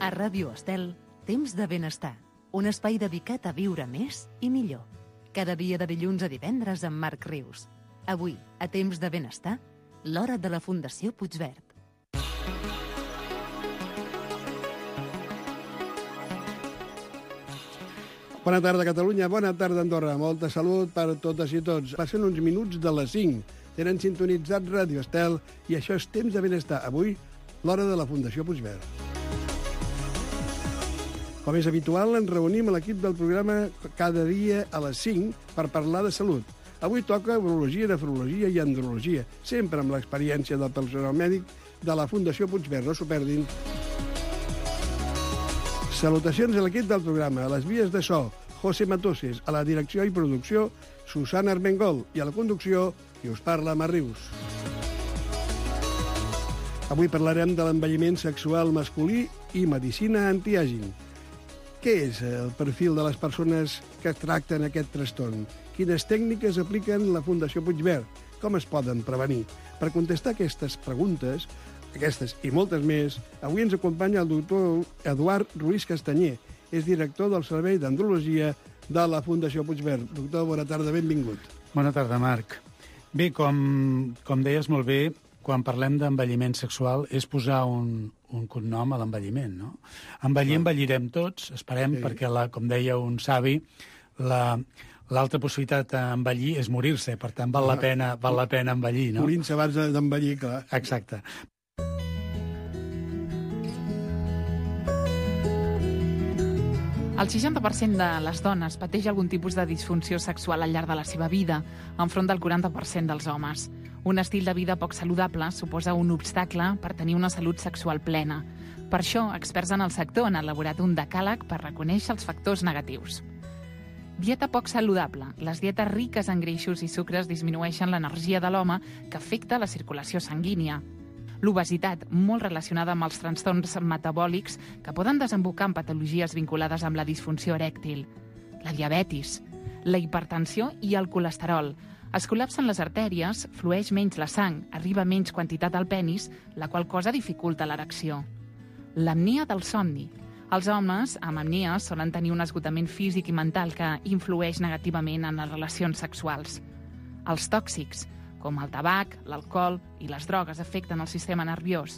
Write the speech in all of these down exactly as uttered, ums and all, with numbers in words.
A Ràdio Estel, Temps de Benestar, un espai dedicat a viure més i millor. Cada dia de dilluns a divendres amb Marc Rius. Avui, a Temps de Benestar, l'hora de la Fundació Puigverd. Bona tarda, Catalunya. Bona tarda, Andorra. Molta salut per totes i tots. Passen uns minuts de les cinc. Tenen sintonitzat Ràdio Estel i això és Temps de Benestar. Avui, l'hora de la Fundació Puigverd. Com és habitual, ens reunim a l'equip del programa cada dia a les cinc per parlar de salut. Avui toca urologia, nefrologia i andrologia, sempre amb l'experiència del personal mèdic de la Fundació Puigverd. No s'ho perdin. Salutacions a l'equip del programa, a les vies de so, José Matoses, a la direcció i producció, Susana Armengol, i a la conducció, qui us parla, Marc Rius. Avui parlarem de l'envelliment sexual masculí i medicina antiaging. Què és el perfil de les persones que tracten aquest trastorn? Quines tècniques apliquen la Fundació Puigverd? Com es poden prevenir? Per contestar aquestes preguntes, aquestes i moltes més, avui ens acompanya el doctor Eduard Ruiz Castanyer. És director del Servei d'Andrologia de la Fundació Puigverd. Doctor, bona tarda, benvingut. Bona tarda, Marc. Bé, com, com deies molt bé, quan parlem d'envelliment sexual és posar un, un cognom a l'envelliment, no? Envellir, envellirem tots, esperem, sí. Perquè, la, com deia un savi, la... L'altra possibilitat d'envellir és morir-se, per tant, val la pena, val la pena envellir, no? Morint-se abans d'envellir, clar. Exacte. El seixanta per cent de les dones pateix algun tipus de disfunció sexual al llarg de la seva vida, enfront del quaranta per cent dels homes. Un estil de vida poc saludable suposa un obstacle per tenir una salut sexual plena. Per això, experts en el sector han elaborat un decàleg per reconèixer els factors negatius. Dieta poc saludable. Les dietes riques en greixos i sucres disminueixen l'energia de l'home, que afecta la circulació sanguínia. L'obesitat, molt relacionada amb els trastorns metabòlics que poden desembocar en patologies vinculades amb la disfunció erèctil. La diabetis, la hipertensió i el colesterol. Es col·lapsen les artèries, flueix menys la sang, arriba menys quantitat al penis, la qual cosa dificulta l'erecció. L'apnea del somni. Els homes amb apnea solen tenir un esgotament físic i mental que influeix negativament en les relacions sexuals. Els tòxics, com el tabac, l'alcohol i les drogues, afecten el sistema nerviós.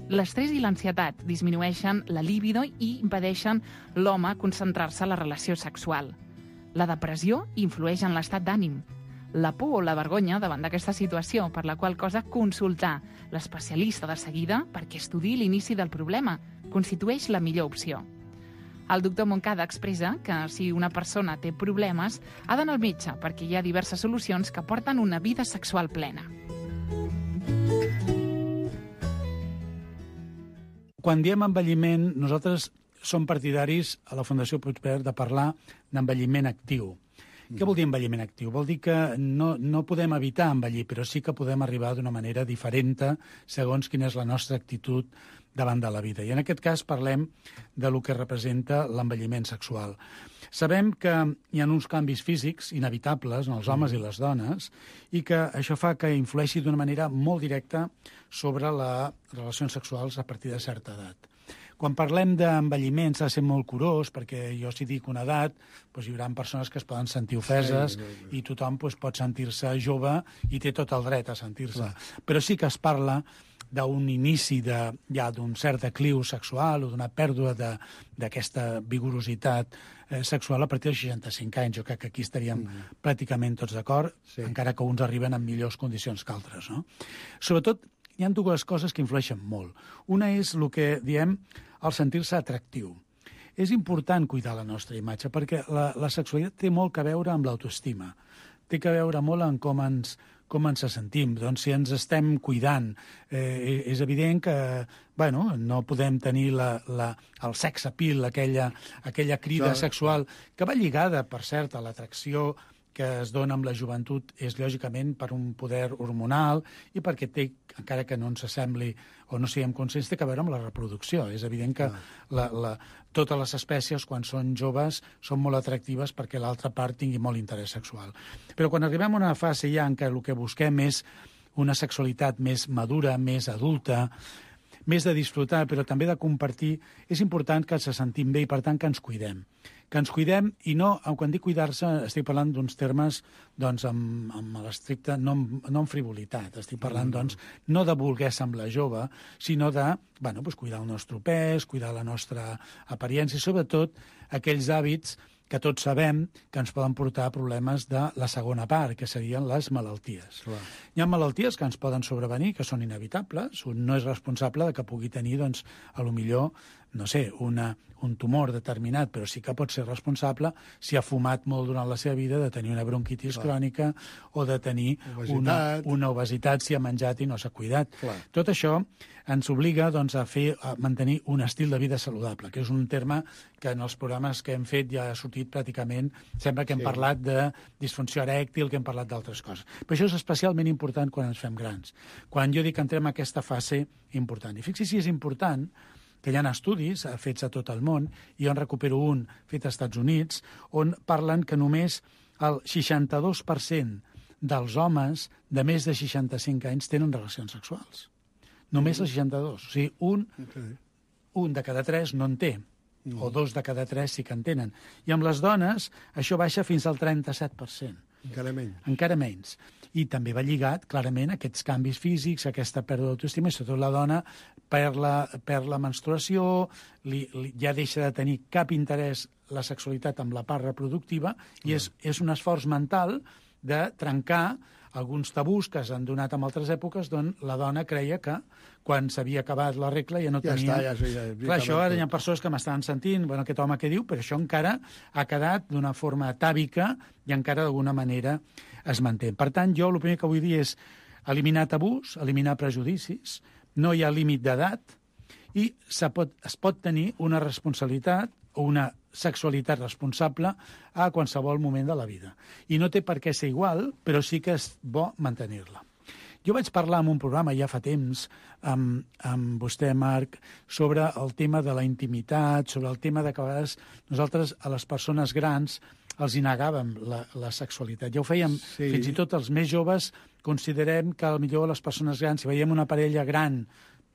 L'estrès i l'ansietat disminueixen la libido i impedeixen l'home concentrar-se en la relació sexual. La depressió influeix en l'estat d'ànim. La por o la vergonya davant d'aquesta situació, per la qual cosa consultar l'especialista de seguida perquè estudiï l'inici del problema constitueix la millor opció. El doctor Moncada expressa que si una persona té problemes, ha d'anar al metge perquè hi ha diverses solucions que porten una vida sexual plena. Quan diem envelliment, nosaltres som partidaris a la Fundació Puigverd de parlar d'envelliment actiu. Què vol dir envelliment actiu? Vol dir que no, no podem evitar envellir, però sí que podem arribar d'una manera diferent segons quina és la nostra actitud davant de la vida. I en aquest cas parlem de lo que representa l'envelliment sexual. Sabem que hi ha uns canvis físics inevitables en els homes i les dones i que això fa que influeixi d'una manera molt directa sobre les relacions sexuals a partir de certa edat. Quan parlem d'envelliment s'ha de ser molt curós, perquè jo si dic una edat, doncs hi haurà persones que es poden sentir ofeses sí, sí, sí. I tothom doncs, pot sentir-se jove i té tot el dret a sentir-se. Clar. Però sí que es parla d'un inici de, ja d'un cert decliu sexual o d'una pèrdua d'aquesta vigorositat eh, sexual a partir dels seixanta-cinc anys. Jo crec que aquí estaríem mm. pràcticament tots d'acord, sí. Encara que uns arriben en millors condicions que altres. No? Sobretot, hi ha dues coses que influeixen molt. Una és el que diem el sentir-se atractiu. És important cuidar la nostra imatge perquè la, la sexualitat té molt a veure amb l'autoestima. Té a veure molt en com ens, com ens sentim. Doncs si ens estem cuidant, eh, és evident que bueno, no podem tenir la, la, el sex appeal, aquella, aquella crida Això... sexual que va lligada, per cert, a l'atracció que es dona amb la joventut és, lògicament, per un poder hormonal i perquè té, encara que no ens sembli o no siguem conscients, té a veure amb la reproducció. És evident que la, la, totes les espècies, quan són joves, són molt atractives perquè l'altra part tingui molt interès sexual. Però quan arribem a una fase ja en què el que busquem és una sexualitat més madura, més adulta, més de disfrutar, però també de compartir, és important que ens sentim bé i, per tant, que ens cuidem. Que ens cuidem, i no, quan dic cuidar-se, estic parlant d'uns termes doncs, amb, amb l'estricte, no, no amb frivolitat, estic parlant, doncs, no de voler semblar jove, sinó de, bueno, doncs, cuidar el nostre pes, cuidar la nostra apariència, i sobretot aquells hàbits que tots sabem que ens poden portar a problemes de la segona part, que serien les malalties. Clar. Hi ha malalties que ens poden sobrevenir, que són inevitables. Un no és responsable de que pugui tenir, doncs, a lo millor, no sé, una, un tumor determinat, però sí que pot ser responsable si ha fumat molt durant la seva vida de tenir una bronquitis Clar. crònica o de tenir obesitat. Una, una obesitat si ha menjat i no s'ha cuidat. Clar. Tot això ens obliga, doncs, a fer a mantenir un estil de vida saludable, que és un terme que en els programes que hem fet ja ha sortit pràcticament, sembla que hem sí. parlat de disfunció erèctil, que hem parlat d'altres coses. Però això és especialment important quan ens fem grans, quan jo dic que entrem en aquesta fase important. I fixi si és important que hi ha estudis fets a tot el món, i jo en recupero un fet als Estats Units, on parlen que només el seixanta-dos per cent dels homes de més de seixanta-cinc anys tenen relacions sexuals. Només el seixanta-dos. O sigui, un, okay. un de cada tres no en té, mm. o dos de cada tres sí que en tenen. I amb les dones això baixa fins al trenta-set per cent. Encara menys. Encara menys. I també va lligat, clarament, a aquests canvis físics, a aquesta pèrdua d'autoestima, i sobretot la dona perd la, perd la menstruació, li, li, ja deixa de tenir cap interès la sexualitat amb la part reproductiva, i és, és un esforç mental de trencar alguns tabús que s'han donat en altres èpoques, d'on la dona creia que quan s'havia acabat la regla ja no ja tenia... Està, ja, ja, ja, Clar, això ara hi ha persones que m'estan sentint, bueno, aquest home què diu, però això encara ha quedat d'una forma atàvica i encara d'alguna manera es manté. Per tant, jo el primer que vull dir és eliminar tabús, eliminar prejudicis, no hi ha límit d'edat, i pot, es pot tenir una responsabilitat o una sexualitat responsable a qualsevol moment de la vida. I no té per què ser igual, però sí que és bo mantenir-la. Jo vaig parlar en un programa ja fa temps amb, amb vostè, Marc, sobre el tema de la intimitat, sobre el tema de que a vegades nosaltres a les persones grans els hi negàvem la, la sexualitat. Ja ho fèiem, sí. Fins i tot els més joves considerem que potser les persones grans, si veiem una parella gran,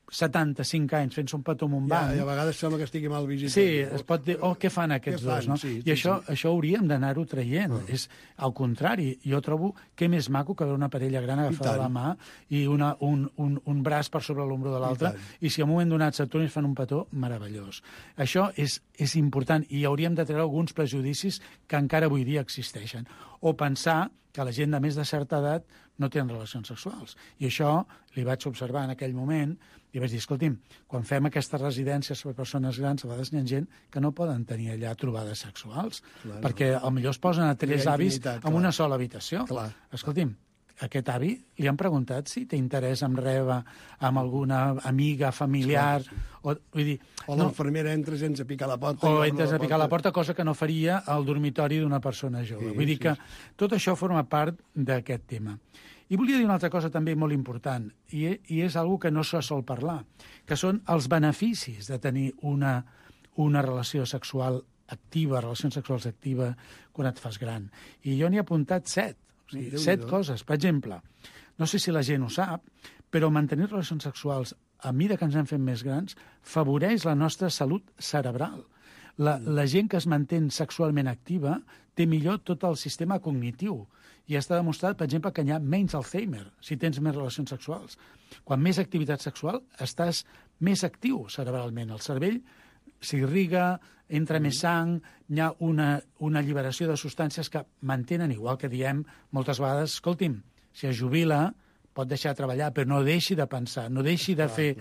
setanta-cinc anys fent-se un petó amb un banc... Ja, i a vegades sembla que estigui mal visitat. Sí, es pot dir, oh, què fan aquests què dos, fan? No? Sí, I sí, això, sí. això hauríem d'anar-ho traient. Uh. És al contrari. Jo trobo que més maco que veure una parella gran agafada la mà i una, un, un, un braç per sobre l'ombro de l'altre, i, i si a un moment donat s'aturen i fan un petó, meravellós. Això és, és important, i hauríem de treure alguns prejudicis que encara avui dia existeixen. O pensar que la gent de més de certa edat no tenen relacions sexuals. I això li vaig observar en aquell moment i vaig dir, escolti'm, quan fem aquestes residències per persones grans, a vegades hi ha gent que no poden tenir allà trobades sexuals, clar, perquè no. Potser es posen a tres avis en clar. Una sola habitació. Clar. Escolti'm, aquest avi li han preguntat si té interès en rebre amb alguna amiga, familiar... Clar, sí. O, vull dir, o l'infermera no, entra sense picar la porta. O entres a picar la porta, cosa que no faria al dormitori d'una persona jove. Sí, vull dir sí, que sí. Tot això forma part d'aquest tema. I volia dir una altra cosa també molt important, i, i és una que no se sol parlar, que són els beneficis de tenir una, una relació sexual activa, relacions sexuals activa, quan et fas gran. I jo n'hi he apuntat set, o sigui, sí, set coses. Per exemple, no sé si la gent ho sap, però mantenir relacions sexuals a mesura que ens hem fet més grans favoreix la nostra salut cerebral. La, la gent que es manté sexualment activa té millor tot el sistema cognitiu. I està demostrat, per exemple, que hi ha menys Alzheimer si tens més relacions sexuals. Quan més activitat sexual, estàs més actiu cerebralment. El cervell s'irriga, entra més sang, hi ha una, una alliberació de substàncies que mantenen, igual que diem moltes vegades, escolti'm, si es jubila, pot deixar de treballar, però no deixi de pensar, no deixi de fer,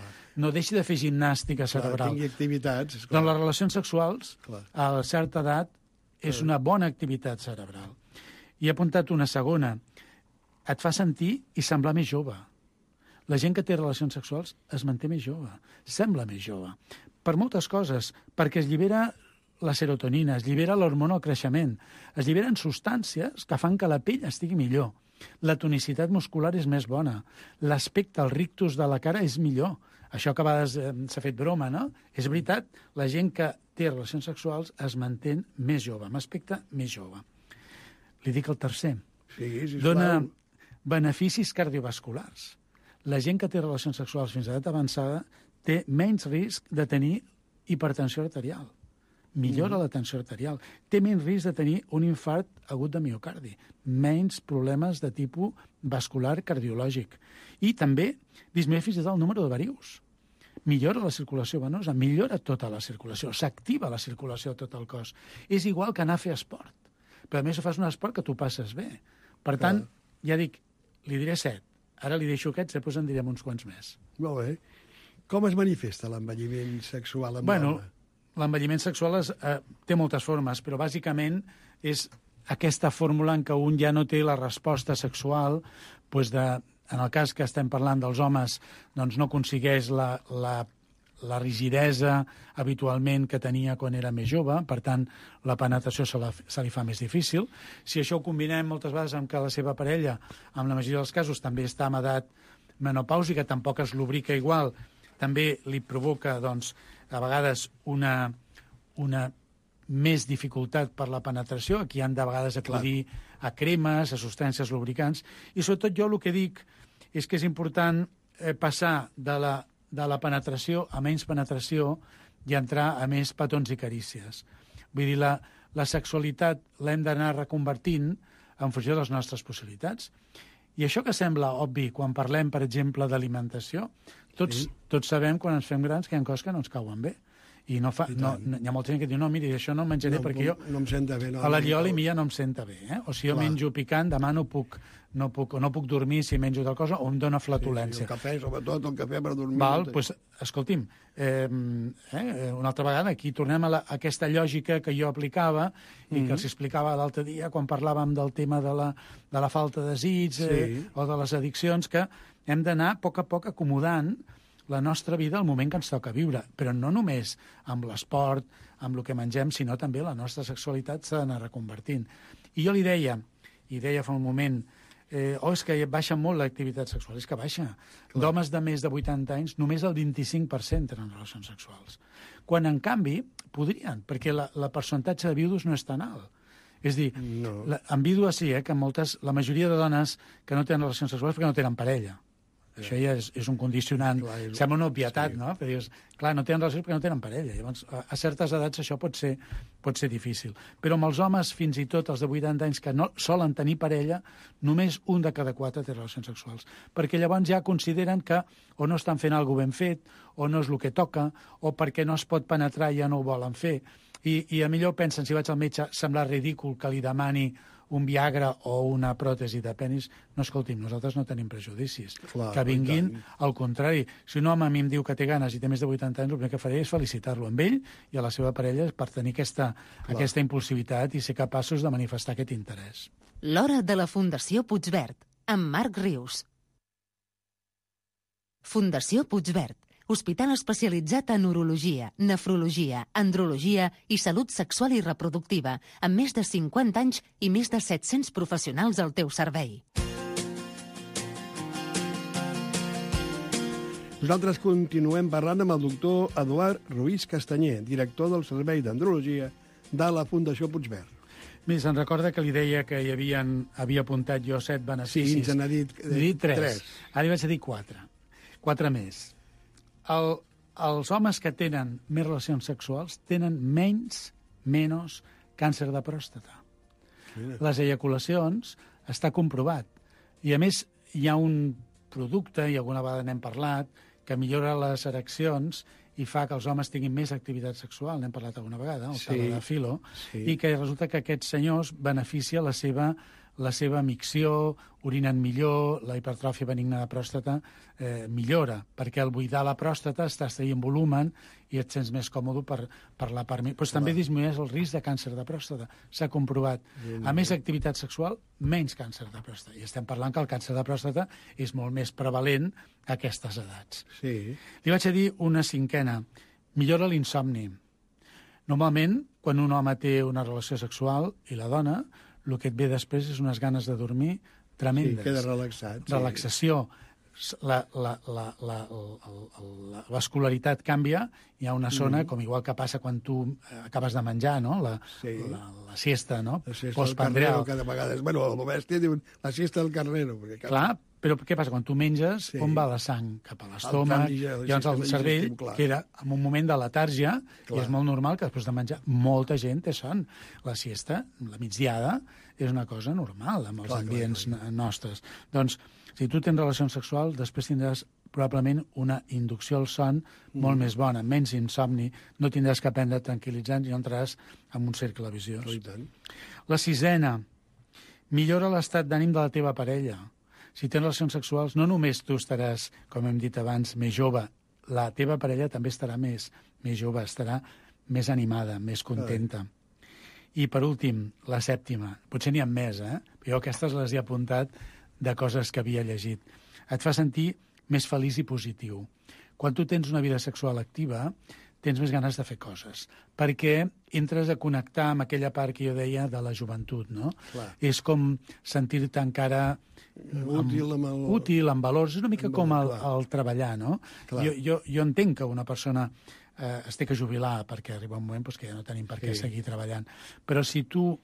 no deixi de fer gimnàstica cerebral. Clar, tingui activitats. Esclar. Doncs les relacions sexuals, clar. A certa edat, és una bona activitat cerebral. I he apuntat una segona. Et fa sentir i semblar més jove. La gent que té relacions sexuals es manté més jove, sembla més jove. Per moltes coses, perquè es llibera la serotonina, es llibera l'hormona del creixement, es lliberen substàncies que fan que la pell estigui millor. La tonicitat muscular és més bona. L'aspecte, el rictus de la cara és millor. Això que a vegades eh, s'ha fet broma, no? És veritat, la gent que té relacions sexuals es manté més jove, amb aspecte més jove. Li dic el tercer. Sí, sisplau. Dona beneficis cardiovasculars. La gent que té relacions sexuals fins a edat avançada té menys risc de tenir hipertensió arterial. Millora mm. la tensió arterial. Té menys risc de tenir un infart agut de miocardi. Menys problemes de tipus vascular cardiològic. I també disminueix fins i tot el número de varius. Millora la circulació venosa, millora tota la circulació, s'activa la circulació a tot el cos. És igual que anar a fer esport. Però a més fas un esport que tu passes bé. Per tant, Clar. ja dic, li diré set. Ara li deixo aquests, després en direm uns quants més. Molt bé. Com es manifesta l'envelliment sexual amb bueno, l'home? L'envelliment sexual es, eh, té moltes formes, però bàsicament és aquesta fórmula en què un ja no té la resposta sexual, doncs de, en el cas que estem parlant dels homes, doncs no aconsegueix la, la, la rigidesa habitualment que tenia quan era més jove, per tant, la penetració se, la, se li fa més difícil. Si això ho combinem moltes vegades amb que la seva parella, en la majoria dels casos, també està en edat menopàusica, tampoc es lubrica igual, també li provoca, doncs, a vegades una, una més dificultat per la penetració. Aquí han de vegades acudir a cremes, a substàncies lubricants. I sobretot jo el que dic és que és important eh, passar de la, de la penetració a menys penetració i entrar a més petons i carícies. Vull dir, la, la sexualitat l'hem d'anar reconvertint en funció de les nostres possibilitats. I això que sembla obvi quan parlem, per exemple, d'alimentació, tots, sí. tots sabem quan ens fem grans que hi ha coses que no ens cauen bé. I no fa, no, no, hi ha molta gent que diu, no, miri, això no em menjaré no, perquè no, jo no em senta bé, no, a la lliola i mia no em senta bé. Eh? O si jo Clar. menjo picant, demà no puc, no puc, no puc dormir si menjo tal cosa, o em dóna flatulència. Sí, sí, el cafè, sobretot el cafè per dormir. Val, doncs, pues, escolti'm, eh, eh, una altra vegada, aquí tornem a, la, a aquesta lògica que jo aplicava i mm-hmm. que els explicava l'altre dia quan parlàvem del tema de la, de la falta de desig sí. eh, o de les addiccions, que hem d'anar a poc a poc acomodant la nostra vida al moment que ens toca viure, però no només amb l'esport, amb el que mengem, sinó també la nostra sexualitat s'ha d'anar reconvertint. I jo li deia, i deia fa un moment, eh, oh, és que baixa molt l'activitat sexual. És que baixa. D'homes de més de vuitanta anys, només el vint-i-cinc per cent tenen relacions sexuals. Quan, en canvi, podrien, perquè la, la percentatge de viudos no és tan alt. És dir, no. la, en vídues sí, eh, que moltes, la majoria de dones que no tenen relacions sexuals perquè no tenen parella. Ja. Això ja és, és un condicionant. Clar, és... Sembla una obvietat, sí. no? Però dius, clar, no tenen relacions perquè no tenen parella. Llavors, a, a certes edats això pot ser, pot ser difícil. Però amb els homes, fins i tot els de vuitanta anys, que no solen tenir parella, només un de cada quatre té relacions sexuals. Perquè llavors ja consideren que o no estan fent alguna ben fet, o no és el que toca, o perquè no es pot penetrar i ja no ho volen fer. I, i a millor pensen, si vaig al metge, sembla ridícul que li demani un Viagra o una pròtesi de penis. No, escolti'm, nosaltres no tenim prejudicis. Clar, que vinguin, al contrari. Si un home a mi em diu que té ganes i té més de vuitanta anys, el primer que faré és felicitar-lo amb ell i a la seva parella per tenir aquesta, aquesta impulsivitat i ser capaços de manifestar aquest interès. L'hora de la Fundació Puigverd, amb Marc Rius. Fundació Puigverd, hospital especialitzat en urologia, nefrologia, andrologia i salut sexual i reproductiva, amb més de cinquanta anys i més de set-cents professionals al teu servei. Nosaltres continuem parlant amb el doctor Eduard Ruiz Castanyer, director del Servei d'Andrologia de la Fundació Puigverd. Mira, se'n recorda que li deia que hi havien, havia apuntat jo set beneficis. Sí, ens n'ha dit, eh, dit tres. tres. Ara hi vaig a dir quatre. Quatre més. El, els homes que tenen més relacions sexuals tenen menys, menys càncer de pròstata. Mira. Les eyaculacions està comprovat. I, a més, hi ha un producte, i alguna vegada n'hem parlat, que millora les ereccions i fa que els homes tinguin més activitat sexual, n'hem parlat alguna vegada, el sí, Tadalafilo, sí. I que resulta que aquests senyors beneficia la seva, la seva micció, orinen millor, la hipertròfia benigna de pròstata eh, millora, perquè al buidar la pròstata estàs traient volumen i et sents més còmode per, per la part... Però també disminueix el risc de càncer de pròstata. S'ha comprovat. A més activitat sexual, menys càncer de pròstata. I estem parlant que el càncer de pròstata és molt més prevalent a aquestes edats. Sí. Li vaig a dir una cinquena. Millora l'insomni. Normalment, quan un home té una relació sexual i la dona, el que et ve després és unes ganes de dormir tremendes. Sí, queda relaxat. Sí. Relaxació. La, la, la, la, la, la vascularitat canvia, hi ha una zona, mm. com igual que passa quan tu acabes de menjar, no? La, sí. la, la siesta, no? La siesta del carrero, cada vegada. Bueno, el bèstia diuen la siesta del carrero. Perquè cada... Clar, Però què passa? Quan tu menges, Sí. on va la sang? Cap a Al l'estómac, canvi, ja, i llavors el sistema cervell digestiu, clar. queda en un moment de letàrgia, Clar. i és molt normal que després de menjar molta gent té son. La siesta, la migdiada, és una cosa normal amb els Clar, clar, ambients clar. nostres. Doncs, si tu tens relacions sexuals, després tindràs probablement una inducció al son molt més bona, menys insomni, no tindràs que prendre tranquil·litzants i entraràs en un cercle viciós. I tant. La sisena, millora l'estat d'ànim de la teva parella. Si tens relacions sexuals, no només tu estaràs, com hem dit abans, més jove, la teva parella també estarà més, més jove, estarà més animada, més contenta. I, per últim, la sèptima. Potser n'hi ha més, eh? Però jo aquestes les he apuntat de coses que havia llegit. Et fa sentir més feliç i positiu. Quan tu tens una vida sexual activa, tens més ganes de fer coses, perquè entres a connectar amb aquella part que jo deia de la joventut, no? Clar. És com sentir-te encara Útil amb el... útil, amb valors, és una mica Amb com el, valor, clar. el treballar, no? Clar. Jo, jo, jo entenc que una persona eh, es té que jubilar perquè arriba un moment doncs, que ja no tenim per què Sí. seguir treballant, però si tu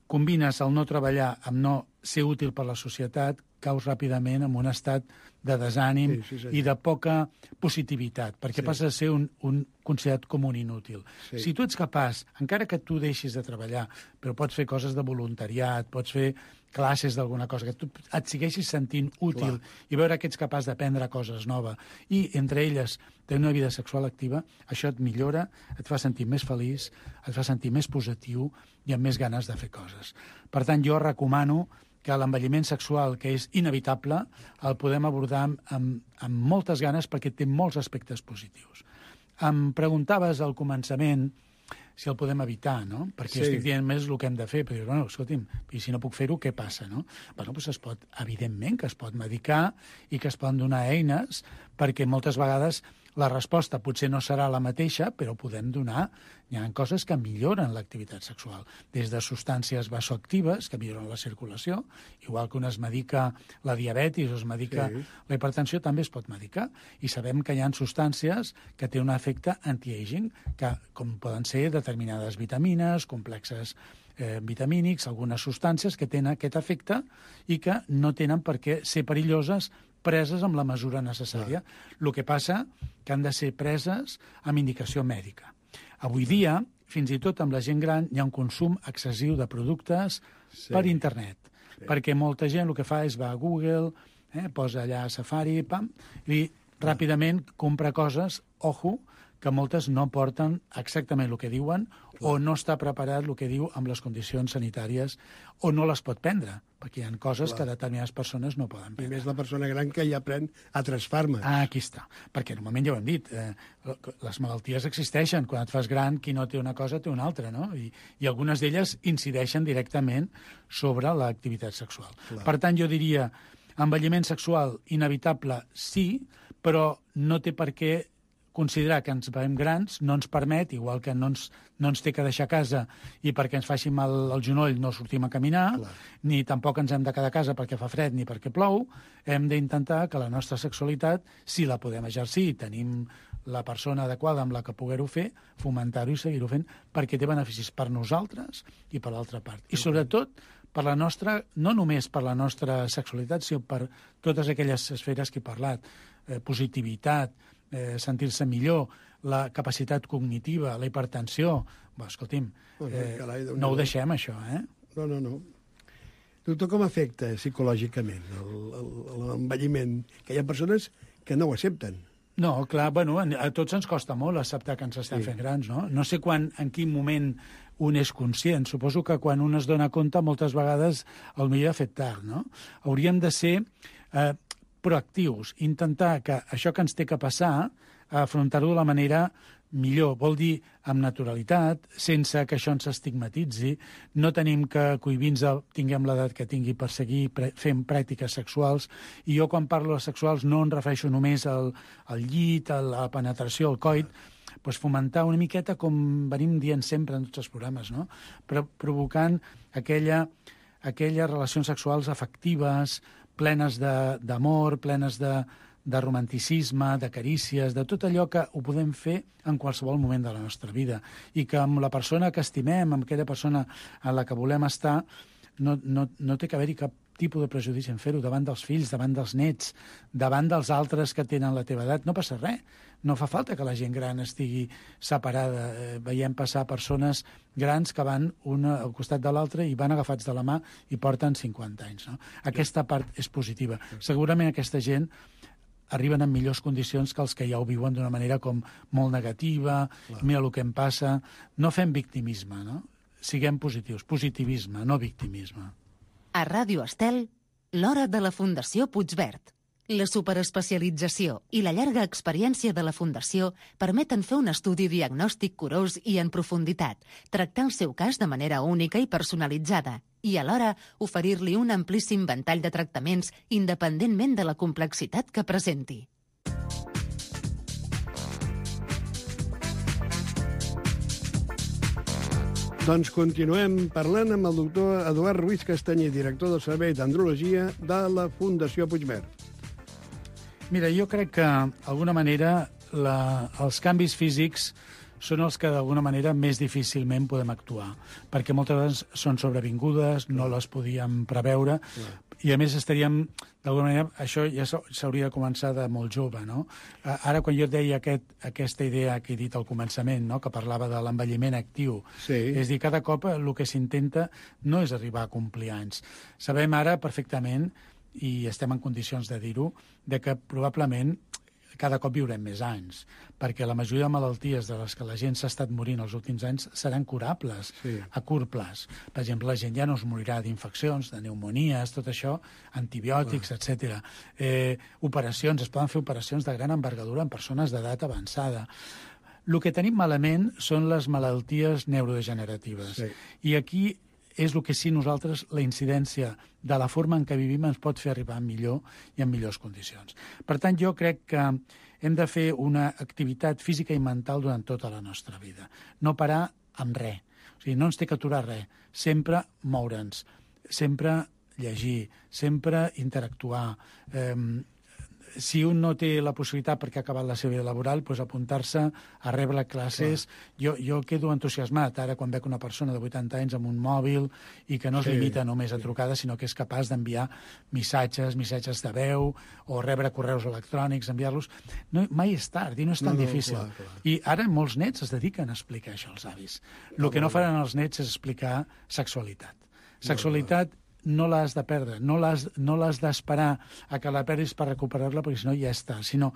combines el no treballar amb no ser útil per la societat, caus ràpidament en un estat de desànim Sí, sí, senyor. i de poca positivitat, perquè Sí. passa a ser un, un considerat com un inútil. Sí. Si tu ets capaç, encara que tu deixis de treballar, però pots fer coses de voluntariat, pots fer classes d'alguna cosa, que tu et segueixis sentint útil Clar. i veure que ets capaç d'aprendre coses noves, i entre elles tenir una vida sexual activa, això et millora, et fa sentir més feliç, et fa sentir més positiu i amb més ganes de fer coses. Per tant, jo recomano que l'envelliment sexual, que és inevitable, el podem abordar amb, amb, amb moltes ganes perquè té molts aspectes positius. Em preguntaves al començament si el podem evitar, no? Perquè Sí. estic dient més el que hem de fer, però dius, bueno, escolti'm, i si no puc fer-ho, què passa, no? Bueno, doncs es pot, evidentment, que es pot medicar i que es poden donar eines, perquè moltes vegades la resposta potser no serà la mateixa, però podem donar... Hi ha coses que milloren l'activitat sexual, des de substàncies vasoactives, que milloren la circulació, igual que un es medica la diabetis o es medica Sí. la hipertensió, també es pot medicar. I sabem que hi ha substàncies que tenen un efecte anti-aging, que, com poden ser determinades vitamines, complexes eh, vitamínics, algunes substàncies que tenen aquest efecte i que no tenen per què ser perilloses preses amb la mesura necessària. El que passa que han de ser preses amb indicació mèdica. Avui dia, fins i tot amb la gent gran, hi ha un consum excessiu de productes Sí. per internet, sí. perquè molta gent el que fa és va a Google, eh, posa allà Safari, pam, i ràpidament compra coses, ojo, que moltes no porten exactament el que diuen o no està preparat el que diu amb les condicions sanitàries o no les pot prendre, perquè hi ha coses Clar. que determinades persones no poden I prendre. més la persona gran que ja pren altres fàrmacs. Ah, aquí està. Perquè normalment ja ho hem dit, eh, les malalties existeixen. Quan et fas gran, qui no té una cosa té una altra, no? I, i algunes d'elles incideixen directament sobre l'activitat sexual. Clar. Per tant, jo diria, envelliment sexual inevitable, sí, però no té per què considerar que ens veiem grans no ens permet, igual que no ens, no ens té que deixar a casa i perquè ens faci mal el genoll no sortim a caminar, Clar. ni tampoc ens hem de quedar a casa perquè fa fred ni perquè plou, hem d'intentar que la nostra sexualitat, si la podem exercir i tenim la persona adequada amb la que poder-ho fer, fomentar-ho i seguir-ho fent, perquè té beneficis per nosaltres i per l'altra part. I sobretot per la nostra, no només per la nostra sexualitat, sinó per totes aquelles esferes que he parlat, eh, positivitat, eh, sentir-se millor, la capacitat cognitiva, la hipertensió... Bé, escolti'm, eh, Carai, Déu-n'hi-do. no ho deixem, això, eh? No, no, no. Doctor, com afecta psicològicament el- el- l'envelliment? Que hi ha persones que no ho accepten. No, clar, bueno, a tots ens costa molt acceptar que ens estem Sí. fent grans, no? No sé quan, en quin moment un és conscient. Suposo que quan un es dona compte, moltes vegades el millor ha fet tard, no? Hauríem de ser eh, proactius, intentar que això que ens té que passar, afrontar-ho de la manera millor, vol dir amb naturalitat, sense que això ens estigmatitzi, no tenim que cohibir-nos, tinguem l'edat que tingui per seguir pre fent pràctiques sexuals, i jo quan parlo de sexuals no em refereixo només al, al llit, a la penetració, al coit, doncs fomentar una miqueta, com venim dient sempre en tots els programes, no? Però provocant aquella, aquelles relacions sexuals afectives, plenes d'amor, plenes de, de romanticisme, de carícies, de tot allò que ho podem fer en qualsevol moment de la nostra vida. I que amb la persona que estimem, amb aquella persona en la que volem estar, no, no, no té que haver-hi cap tipus de prejudici en fer-ho davant dels fills, davant dels nets, davant dels altres que tenen la teva edat. No passa res. No fa falta que la gent gran estigui separada. Eh, veiem passar persones grans que van una al costat de l'altra i van agafats de la mà i porten cinquanta anys. No? Aquesta part és positiva. Segurament aquesta gent arriben en millors condicions que els que ja ho viuen d'una manera com molt negativa, clar. Mira el que em passa. No fem victimisme, no? Siguem positius. Positivisme, no victimisme. A Ràdio Estel, l'hora de la Fundació Puigverd. La superespecialització i la llarga experiència de la Fundació permeten fer un estudi diagnòstic curós i en profunditat, tractar el seu cas de manera única i personalitzada i, alhora, oferir-li un amplíssim ventall de tractaments independentment de la complexitat que presenti. Doncs continuem parlant amb el doctor Eduard Ruiz Castanyer, director del Servei d'Andrologia de la Fundació Puigverd. Mira, jo crec que, d'alguna manera, la, els canvis físics són els que, d'alguna manera, més difícilment podem actuar, perquè moltes vegades són sobrevingudes, no les podíem preveure, i, a més, estaríem, d'alguna manera, això ja s'hauria de començar de molt jove, no? Ara, quan jo et deia aquest, aquesta idea que he dit al començament, no?, que parlava de l'envelliment actiu, sí. És dir, cada cop el que s'intenta no és arribar a complir anys. Sabem ara perfectament, i estem en condicions de dir-ho, de que probablement cada cop viurem més anys, perquè la majoria de malalties de les que la gent s'ha estat morint els últims anys seran curables sí. a curt plaç. Per exemple, la gent ja no es morirà d'infeccions, de pneumonies, tot això, antibiòtics, ah. etcètera. Eh, operacions, es poden fer operacions de gran envergadura en persones d'edat avançada. El que tenim malament són les malalties neurodegeneratives. Sí. I aquí és el que sí nosaltres, la incidència de la forma en què vivim ens pot fer arribar millor i en millors condicions. Per tant, jo crec que hem de fer una activitat física i mental durant tota la nostra vida. No parar amb res. O sigui, no ens té que aturar res. Sempre moure'ns, sempre llegir, sempre interactuar. Eh, si un no té la possibilitat perquè ha acabat la seva vida laboral, doncs apuntar-se a rebre classes. Jo, jo quedo entusiasmat ara quan veig una persona de vuitanta anys amb un mòbil i que no es sí, limita només a trucades, sinó que és capaç d'enviar missatges, missatges de veu o rebre correus electrònics, enviar-los. No, mai és tard i no és tan no, no, difícil. Clar, clar. I ara molts nets es dediquen a explicar això als avis. El no, que no faran els nets és explicar sexualitat. Sexualitat no l'has de perdre, no l'has no l'has d'esperar a que la perdis per recuperar-la, perquè si no ja està. Si no,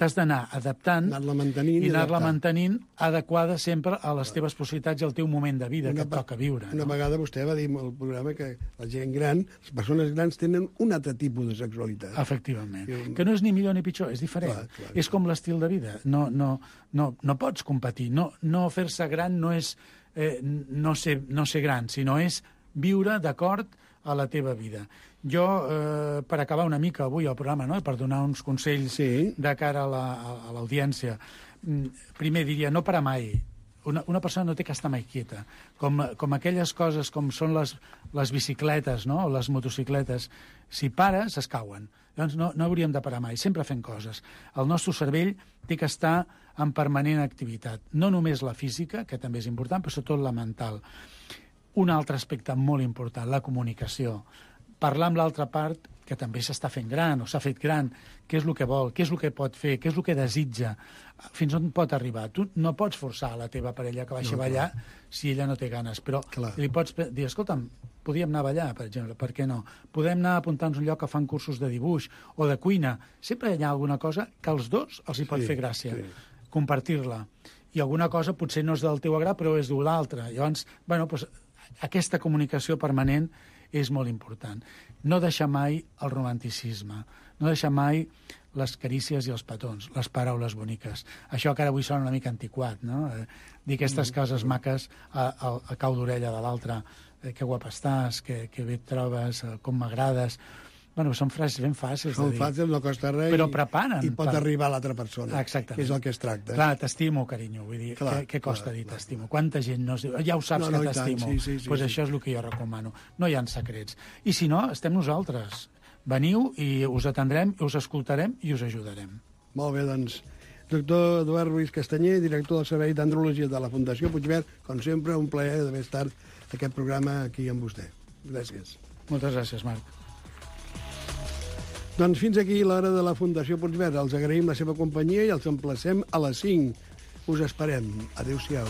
t'has d'anar adaptant anar-la mantenint i anar-la mantenint adequada sempre a les teves possibilitats i al teu moment de vida una, que et toca viure. Una no? vegada vostè va dir al programa que la gent gran, les persones grans, tenen un altre tipus de sexualitat. Efectivament. I... Que no és ni millor ni pitjor, és diferent. Clar, clar, és com l'estil de vida. No, no, no, no pots competir. No, no fer-se gran no és eh, no, ser, no ser gran, sinó és viure d'acord a la teva vida. Jo, eh, per acabar una mica avui el programa, no?, per donar uns consells sí. de cara a l'audiència, la, primer diria, no parar mai. Una, una persona no té que estar mai quieta. Com, com aquelles coses com són les, les bicicletes, no?, o les motocicletes, si pares, es cauen. Llavors no, no hauríem de parar mai, sempre fent coses. El nostre cervell té que estar en permanent activitat. No només la física, que també és important, però sobretot la mental. Un altre aspecte molt important, la comunicació. Parlar amb l'altra part, que també s'està fent gran o s'ha fet gran, què és el que vol, què és el que pot fer, què és el que desitja, fins on pot arribar. Tu no pots forçar a la teva parella que baixi no, a ballar si ella no té ganes, però clar. Li pots dir, escolta'm, podíem anar a ballar, per exemple, per què no? Podem anar a apuntar-nos un lloc que fan cursos de dibuix o de cuina. Sempre hi ha alguna cosa que als dos els hi pot sí, fer gràcia, sí. compartir-la. I alguna cosa potser no és del teu agrat, però és de l'altre. Llavors, bueno, doncs, aquesta comunicació permanent és molt important. No deixar mai el romanticisme, no deixar mai les carícies i els petons, les paraules boniques. Això que ara avui sona una mica antiquat, no? Eh, dir aquestes mm. coses maques a, a, a cau d'orella de l'altre, eh, que guapa estàs, que, que bé et trobes, eh, com m'agrades. Bueno, són frases ben fàcils són de dir. Són fàcils, no costa res però preparen, i pot per... arribar a l'altra persona, exactament. Que és el que es tracta. Clar, t'estimo, carinyo, vull dir, clar, què, què costa clar, dir t'estimo? Quanta gent no es diu, ja ho saps no, no, que t'estimo, doncs sí, sí, sí, pues sí. Això és el que jo recomano. No hi ha secrets. I si no, estem nosaltres. Veniu i us atendrem, us escoltarem i us ajudarem. Molt bé, doncs. Doctor Eduard Ruiz Castanyer, director del Servei d'Andrologia de la Fundació Puigverd, com sempre, un plaer d'haver estat aquest programa aquí amb vostè. Gràcies. Moltes gràcies, Marc. Doncs fins aquí l'hora de la Fundació Puigverd. Els agraïm la seva companyia i els emplacem a les cinc. Us esperem. Adéu-siau.